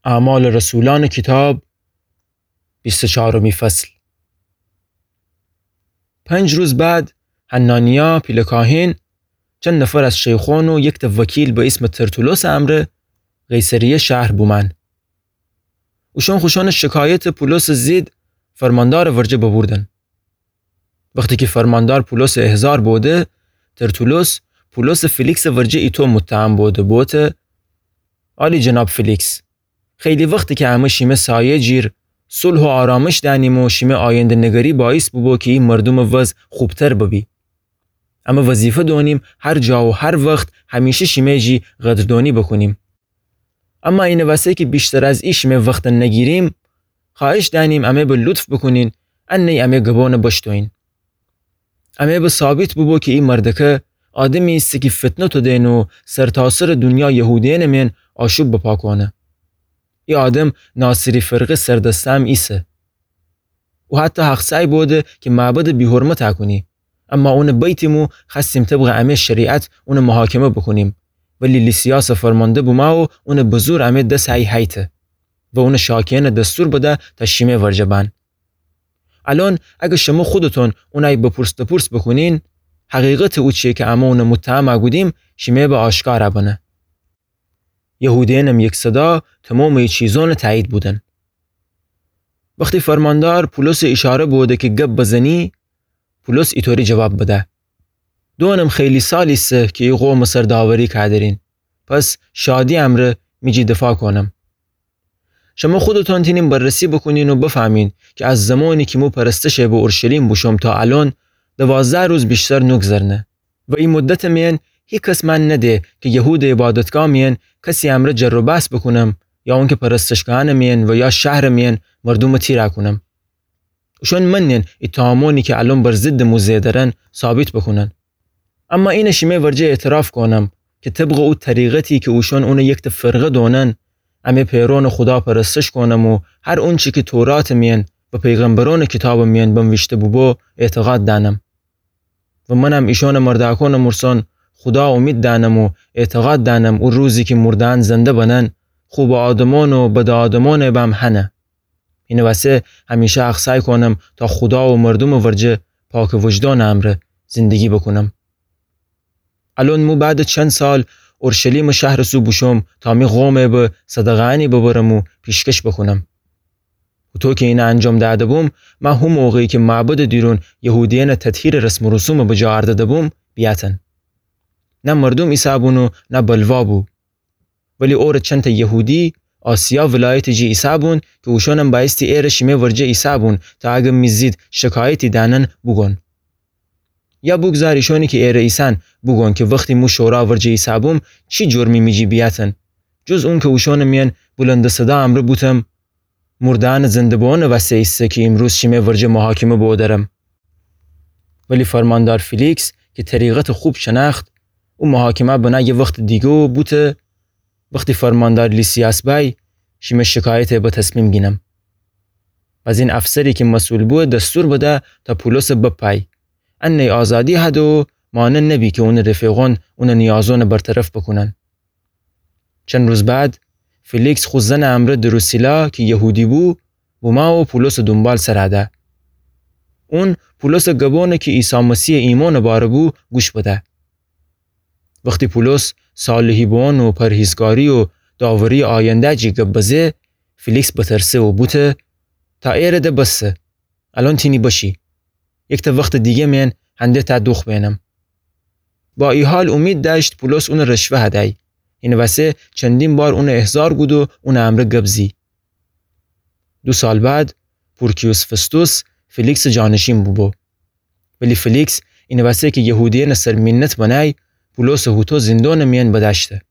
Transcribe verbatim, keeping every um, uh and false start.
اعمال رسولان کیتاب، بیست و چارمی فصل. پنج روز بعد، حنانیا پیله کاهن، چند نفر از شیخون و یکته وکیل به ایسم ترتولوس امرأ قیصریه شهر بومأن. اوشأن خوشأنٚ شکایتٚ پولوسٚ ضد فرماندارٚ ورجه ببوردن. وختی کی فرماندار پولوسٚ احضار بوده، ترتولوس پولوسٚ فیلیکسٚ ورجه ایتو متهم بوده، بوته: عالی جناب فیلیکس، خیلی وخته کی امه شیمه سایه جیر صلح و آرامش دأنیم و شیمه آینده‌نگری باعث بوبو کی ای مردومٚ وضع خوبتر ببی. امه وظیفه دونیم هر جا و هر وخت همیشه شیمه جی قدردونی بوکونیم. اما اینه وسه کی ویشتر از ای شیمه وخته نگیریم، خوأهش دأنیم امه به لطف بوکونین، انه‌یی امه گبونه بشتویین. امه به ثابت بوبو کی ای مردکه آدمی ایسه کی فتنه تودن و سرتاسرٚ دونیا یهودیأنٚ مین آشوب بپا کونه. ای آدم ناصری فرقه سردسته هم ایسه. او حتی حق‌سأی بوده کی معبده بی‌حرمت کونی. اما اونه بیتیم و خوأستیم طبقٚ امه شریعت اونه محاکمه بوکونیم. ولی لیسیاسٚ فرمانده بومو و اونه به زور امه دس هی هیته و اونه شاکیأنٚ دستور بده تا شیمه ورجه بأن. الأن اگر شمه خودتون اونه‌یی بپرس دپرس بوکونین، حقیقتٚ اوچی‌یی کی امه اونه متهم کودیم شیمه به آشکار بنه. یهودیأنم یک‌صدا تومامٚ ای چیزأنٚ تأیید بودن. وختی فرماندار پولوسٚ ایشاره بوده کی گب بزنی، پولوس ایطوری جواب بده: دونم خیلی سال ایسه کی ای قومٚ سر داوری کودرین، پس شادی امرأ می جی دفاع کونم. شمه خودتون تینین بررسی بوکونین و بفهمین کی از زمانی کی مو پرستشه به اورشلیم بوشوم تا الأن دوازده روز ویشتر نوگذرنه. و ای مدتٚ مین هیکس من نده کی یهودٚ عبادتگاه مین کسی امرأ جر و بحث بوکونم یا اونکی پرستشگاهأنٚ مین و یا شهرٚ مین مردومٚ تیرا کونم. اوشأن منن اتهامأنی کی الأن بر ضدٚ مو زئیدرن ثابت بوکونن. اما اینه شیمه ورجه اعتراف کونم کی طبقٚ او طریقتی کی اوشأن اونه یکته فرقه دونن، امه پیرؤنٚ خودا پرستش کونم و هر اونچی کی توراتٚ مین و پیغمبرأنٚ کیتابٚ مین بنویشته بوبو اعتقاد دأنم. و منم ایشأنٚ مردأکأنٚ مورسأن خودا اومید دأنم و اعتقاد دأنم او روزی کی مرده‌یأن زنده بنن، خو به آدمأن و بدٚ آدمأن بم هنه. اینه وسه همیشه حق‌سأی کونم تا خودا و مردومٚ ورجه پاکٚ وجدانٚ امرأ زندگی بوکونم. الأن مو بعدٚ چند سال اورشلیمٚ شهرٚ سو بوشوم تا می قومٚ به صدقه‌یأنی ببرم و پیشکش بوکونم. هوطو کی اینه انجام دأده بوم، مه هو موقعی کی معبدٚ دیرون یهودیأنٚ تطهیرٚ رسم و رسومٚ بجا اردده بوم، بیأتن. نه مردوم ایسه بون و نه بلوا بو. ولی اوره چندتأ یهودی، آسیا ولایتٚ جی ایسه بون کی اوشأنم بأیستی ایره شیمه ورجه ایسه بون تا اگر می ضد شکایتی دأنن بوگون. یا بوگذار ایشأنی کی ایره ایسن بوگون کی وختی مو شورا ورجه ایسه بوم، چی جرمی می جی بیأتن؟ جز اونکی اوشأنٚ مین بلندٚ صدا امرأ بوتم، مرده‌یأنٚ زنده بوئونٚ وسه ایسه کی ایمروز شیمه ورجه محاکمه بودرم. ولی فرماندار فیلیکس کی طریقتٚ خوب شنأخت، او محاکمه بنه یه وختٚ دیگه و بوته، وختی فرماندار لیسیاس بأی، شیمه شکایته به تصمیم گینم. بزین افسری کی مسئول بو دستور بده تا پولوسٚ بپای. انه آزادی هده و مانع نبی کی اونٚ رفیقون اونٚ نیازونٚ برطرف بوکونن. چند روز بعد، فیلیکس خو زنٚ امرأ دروسیلا کی یهودی بو، بومه و پولوسٚ دونبال سر ده. اون پولوسٚ گبونٚ کی عیسی مسیحٚ ایمأنٚ باره بو، گوش بده. وختی پولوس صالحی بوئون و پرهیزکاری و داوری آینده جی گب بزه، فیلیکس بترسه و بوته، تا ایره ده بسه. الأن تینی بشی. یکتأ وختٚ دیگه مین هنده تأ دوخ بینم. با ای حال اومید دأشت پولوس اونٚ رشوه هدی. اینٚ وسه چندین بار اونٚ احضار گود و اونٚ امرأ گب زی. دو سال بعد، پورکیوس فستوس فیلیکسٚ جانشین بوبو. ولی فیلیکس اینٚ وسه کی یهودیأنٚ سر مینت بنی، پولوسٚ هوطو زندونٚ مین بدأشته.